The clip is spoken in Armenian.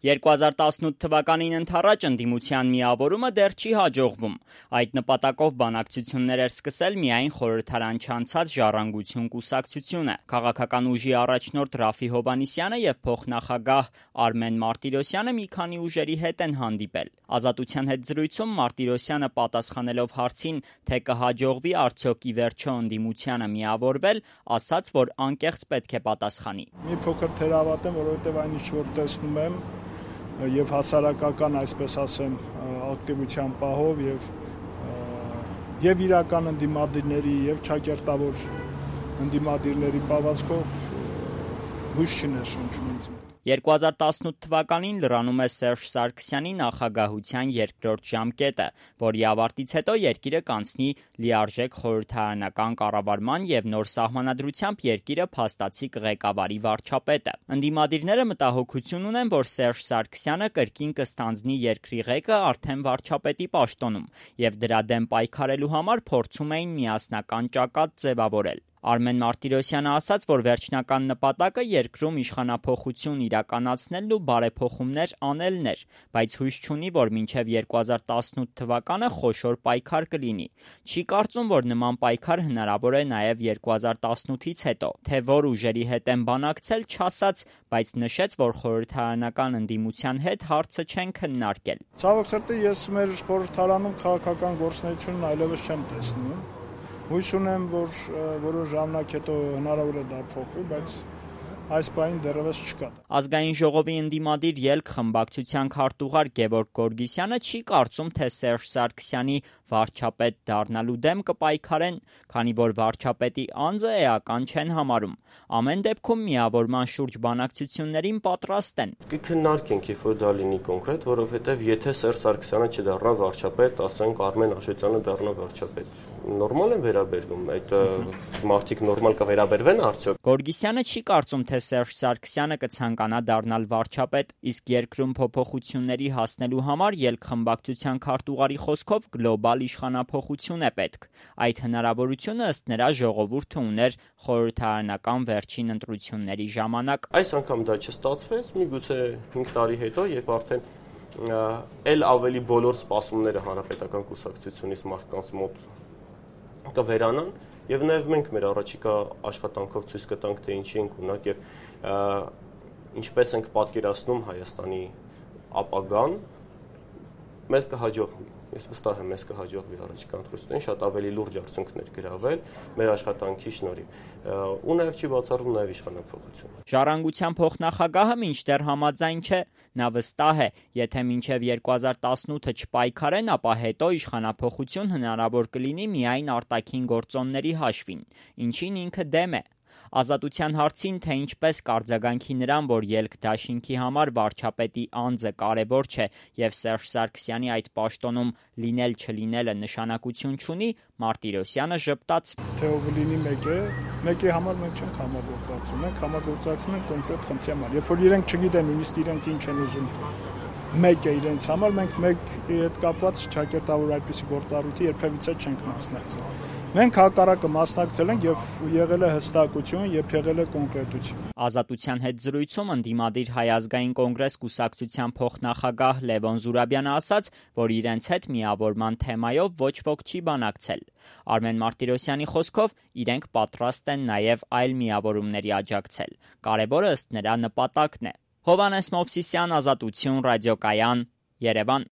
2018 թվականին ընդառաջ ընդդիմության միավորումը դեռ չի հաջողվում։ Այդ նպատակով բանակցություններ էր սկսել միայն խորհրդարան չանցած Ժառանգություն կուսակցությունը։ Քաղաքական ուժի առաջնորդ Ռաֆֆի Հովհաննիսյանը եւ փոխնախագահ Արմեն Մարտիրոսյանը մի քանի ուժերի հետ են հանդիպել։ Ազատության հետ զրույցում Մարտիրոսյանը պատասխանելով հարցին, թե կհաջողվի արդյոք ի վերջո ընդդիմությանը միավորվել, ասաց, որ անկեղծ պետք է պատասխանի։ Մի փոքր թերավատ եմ, որովհետեւ այն ինչ որ տեսնում եմ եւ հասարակական, այսպես ասեմ, ակտիվության պահով եւ իրական ընդդիմադիրների եւ ճակերտավոր ընդդիմադիրների պահվածքով հույս չներշնչում ինձ մոտ։ 2018 թվականին լրանում է Սերժ Սարգսյանի նախագահության երկրորդ ժամկետը, որի ավարտից հետո երկիրը կանցնի լիարժեք խորհրդարանական կառավարման եւ նոր սահմանադրությամբ երկիրը փաստացի կղեկավարի վարչապետը։ Ընդդիմադիրները մտահոգություն ունեն, որ Սերժ Սարգսյանը կրկին կստանձնի երկրի ղեկը արդեն վարչապետի պաշտոնում եւ դրա դեմ պայքարելու համար փորձում էին միասնական ճակատ ձևավորել։ Արմեն Մարտիրոսյանը ասաց, որ վերջնական նպատակը երկրում իշխանափոխություն իրականացնելն ու բարեփոխումներ անելն էր, բայց հույս չունի, որ մինչև 2018 թվականը խոշոր պայքար կլինի։ Չի կարծում, որ նման պայքար հնարավոր է նաև 2018-ից հետո։ Թե որ ուժերի հետ են բանակցել, չասաց, բայց նշեց, որ խորհրդարանական ընդդիմության հետ հարցը չեն քննարկել։ Ցավոք սրտի ես մեր խորհրդարանում քաղաքական գործունեությունն այլևս չեմ տեսնում։ Հույս ունեմ, որ որոշ ժամանակ հետո հնարավոր է դա փոխվի, բայց այս պահին դեռևս չկա։ Ազգային ժողովի ընդդիմադիր ելք խմբակցության քարտուղար Գևորգ Գորգիսյանը չի կարծում, թե Սերժ Սարգսյանի վարչապետ դառնալու դեմ կպայքարեն, քանի որ վարչապետի անձը էական չեն համարում։ Ամեն դեպքում միավորման շուրջ բանակցություններին պատրաստ են։ Կքննարկենք, երբ որ դա լինի կոնկրետ, որովհետև եթե Սերժ Սարգսյանը չդառնա վարչապետ, ասենք Արմեն Աշոտյանը դառնա վարչապետ, նորմալ են վերաբերվում, այդ մարդիկ նորմալ կվերաբերվեն արդյոք։ Գորգիսյանը չի կարծում, թե Սերժ Սարգսյանը կցանկանա դառնալ վարչապետ, իսկ երկրում փոփոխությունների հասնելու համար ելքխմբակցության քարտուղարի խոսքով գլոբալ իշխանափոխություն է պետք։ Այդ հնարավորությունը ըստ նրա ժողովուրդը ուներ խորհրդարանական վերջին ընտրությունների ժամանակ։ Այս անգամ դա չստացվեց, միգուցե 5 տարի հետո, երբ արդեն էլ ավելի բոլոր սպասումները հանրապետական կուսակցությունից մարդկանց մոտ կվերանան եւ նաեւ մենք մեր առաջիկա աշխատանքով ցույց կտանք, թե ինչի ենք ունակ եւ ինչպես ենք պատկերացնում Հայաստանի ապագան, մեզ կհաջողվի։ Ես վստահ եմ, մեզ կհաջողվի առաջիկա ընտրություններին շատ ավելի լուրջ արդյունքներ գրավել մեր աշխատանքի շնորհիվ։ Ու նաեւ չի բացառվում նաեւ իշխանափոխություն։ Ժառանգության փոխնախագահը մինչդեռ համաձայն չէ։ Նա վստահ է, եթե մինչև 2018-ը չպայքարեն, ապա հետո իշխանափոխություն հնարավոր կլինի միայն արտաքին գործոնների հաշվին, ինչին ինքը դեմ է։ Ազատության հարցին, թե ինչպես կարձագանքի նրան, որ ելք դաշինքի համար վարչապետի անձը կարևոր չէ եւ Սերժ Սարգսյանի այդ պաշտոնում լինել-չլինելը նշանակություն չունի, Մարտիրոսյանը ժպտաց. Թե ով լինի մեկի համար մենք չենք համագործակցում, մենք համագործակցում ենք կոնկրետ խնդրի համար։ Երբ որ իրենք չգիտեն նույնիսկ իրենք ինչ են ուզում մեկը իրենց համար, մենք մեկի հետ կապված ճակերտավոր այդպիսի գործառույթի երբևիցե չենք մասնակցել։ Մենք հակառակը մասնակցել ենք եւ եղել է հստակություն եւ եղել է կոնկրետություն։ Ազատության հետ զրույցում ընդդիմադիր Հայ ազգային կոնգրես կուսակցության փոխնախագահ Լևոն Զուրաբյանը ասաց, որ իրենց հետ միավորման թեմայով ոչ ոք չի բանակցել։ Արմեն Մարտիրոսյանի խոսքով իրենք պատրաստ են նաեւ այլ միավորումների աջակցել։ Կարևորը ըստ նրա նպատակն է։ Հովհաննես Մովսիսյան, Ազատություն, ռադիոկայան, Երևան։